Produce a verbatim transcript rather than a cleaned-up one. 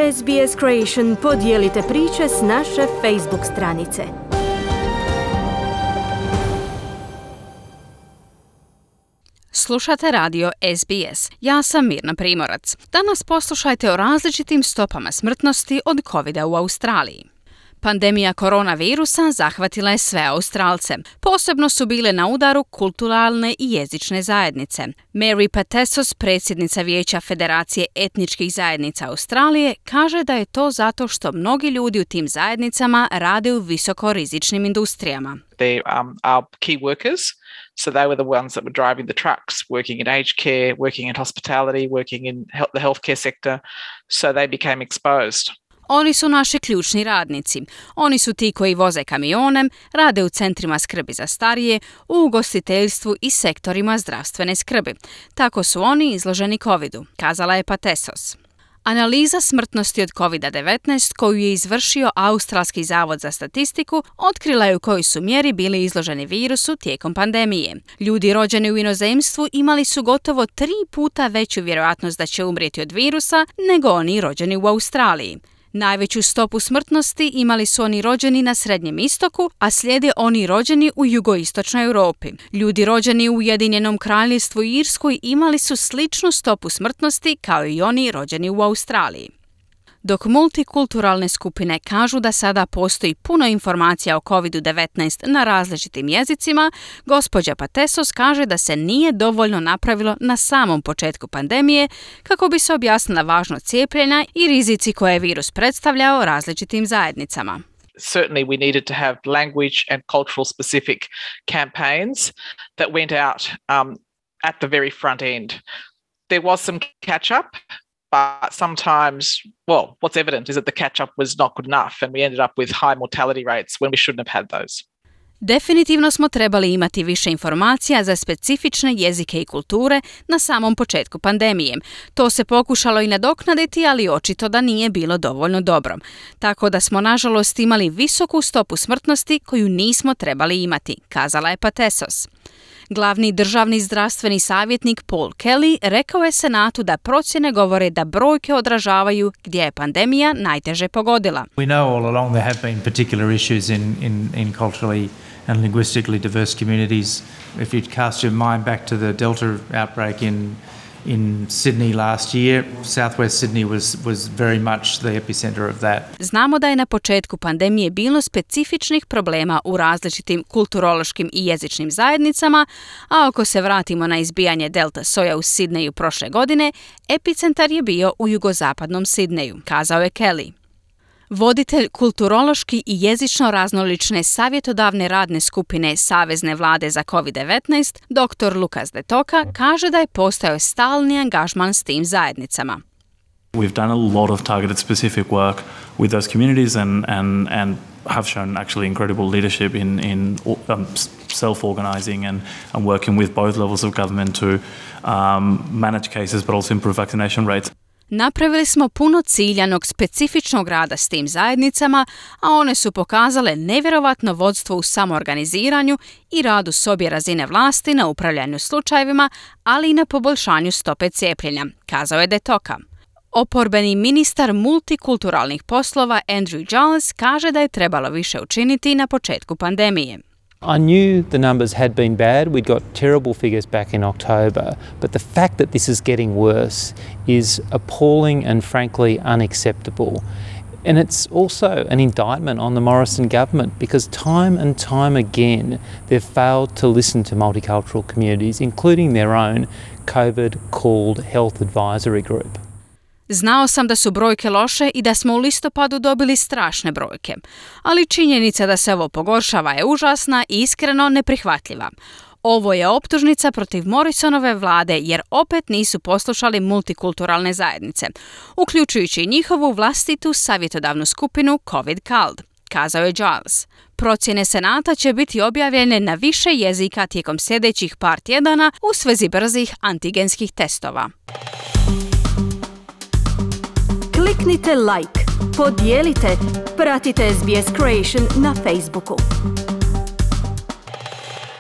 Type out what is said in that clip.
S B S Creation podijelite priče s naše Facebook stranice. Slušate radio S B S. Ja sam Mirna Primorac. Danas poslušajte o različitim stopama smrtnosti od covida u Australiji. Pandemija koronavirusa zahvatila je sve Australce. Posebno su bile na udaru kulturalne i jezične zajednice. Mary Patesos, predsjednica Vijeća Federacije etničkih zajednica Australije, kaže da je to zato što mnogi ljudi u tim zajednicama rade u visokorizičnim industrijama. They um, are key workers, so they were the ones that were driving the trucks, working in aged care, working in hospitality, working in he- the healthcare sector, so they became exposed. Oni su naši ključni radnici. Oni su ti koji voze kamione, rade u centrima skrbi za starije, u ugostiteljstvu i sektorima zdravstvene skrbi. Tako su oni izloženi covidu, kazala je Patesos. Analiza smrtnosti od covida devetnaest koju je izvršio Australski zavod za statistiku otkrila je u kojoj su mjeri bili izloženi virusu tijekom pandemije. Ljudi rođeni u inozemstvu imali su gotovo tri puta veću vjerojatnost da će umrijeti od virusa nego oni rođeni u Australiji. Najveću stopu smrtnosti imali su oni rođeni na Srednjem istoku, a slijede oni rođeni u jugoistočnoj Europi. Ljudi rođeni u Ujedinjenom Kraljevstvu i Irskoj imali su sličnu stopu smrtnosti kao i oni rođeni u Australiji. Dok multikulturalne skupine kažu da sada postoji puno informacija o covidu devetnaest na različitim jezicima, gospođa Patesos kaže da se nije dovoljno napravilo na samom početku pandemije kako bi se objasnila važnost cijepljenja i rizici koje je virus predstavljao različitim zajednicama. Certainly we needed to have language and cultural specific campaigns that went out um, at the very front end. There was some catch up. But sometimes, well, what's evident is that the catch-up was not good enough and we ended up with high mortality rates when we shouldn't have had those. Definitivno smo trebali imati više informacija za specifične jezike i kulture na samom početku pandemije. To se pokušalo i nadoknaditi, ali očito da nije bilo dovoljno dobro. Tako da smo nažalost imali visoku stopu smrtnosti koju nismo trebali imati, kazala je Patesos. Glavni državni zdravstveni savjetnik Paul Kelly rekao je Senatu da procjene govore da brojke odražavaju gdje je pandemija najteže pogodila. We know all along there have been particular issues in, in, in culturally and linguistically diverse communities. If you cast your mind back to the Delta outbreak in In Sydney last year, Southwest Sydney was was very much the epicenter of that. Znamo da je na početku pandemije bilo specifičnih problema u različitim kulturološkim i jezičnim zajednicama, a ako se vratimo na izbijanje delta soja u Sidneju prošle godine, epicentar je bio u jugozapadnom Sidneju, kazao je Kelly. Voditelj kulturološki i jezično raznolične savjetodavne radne skupine Savezne vlade za covid devetnaest, doktor Lukas De Toka, kaže da je postojao stalni angažman s tim zajednicama. We've done a lot of targeted specific work with those communities and, and, and have shown actually incredible leadership in, in um, self-organising and, and working with both levels of government to um, manage cases but also improve vaccination rates. Napravili smo puno ciljanog specifičnog rada s tim zajednicama, a one su pokazale nevjerovatno vodstvo u samoorganiziranju i radu s obje razine vlasti na upravljanju slučajevima, ali i na poboljšanju stope cijepljenja, kazao je De Toka. Oporbeni ministar multikulturalnih poslova Andrew Giles kaže da je trebalo više učiniti na početku pandemije. I knew the numbers had been bad. We'd got terrible figures back in October, but the fact that this is getting worse is appalling and frankly unacceptable. And it's also an indictment on the Morrison government because time and time again they've failed to listen to multicultural communities, including their own COVID-called health advisory group. Znao sam da su brojke loše i da smo u listopadu dobili strašne brojke, ali činjenica da se ovo pogoršava je užasna i iskreno neprihvatljiva. Ovo je optužnica protiv Morrisonove vlade jer opet nisu poslušali multikulturalne zajednice, uključujući njihovu vlastitu savjetodavnu skupinu COVID C A L D, kazao je Giles. Procjene Senata će biti objavljene na više jezika tijekom sljedećih par tjedana u svezi brzih antigenskih testova. Kliknite like, podijelite, pratite S B S Creation na Facebooku.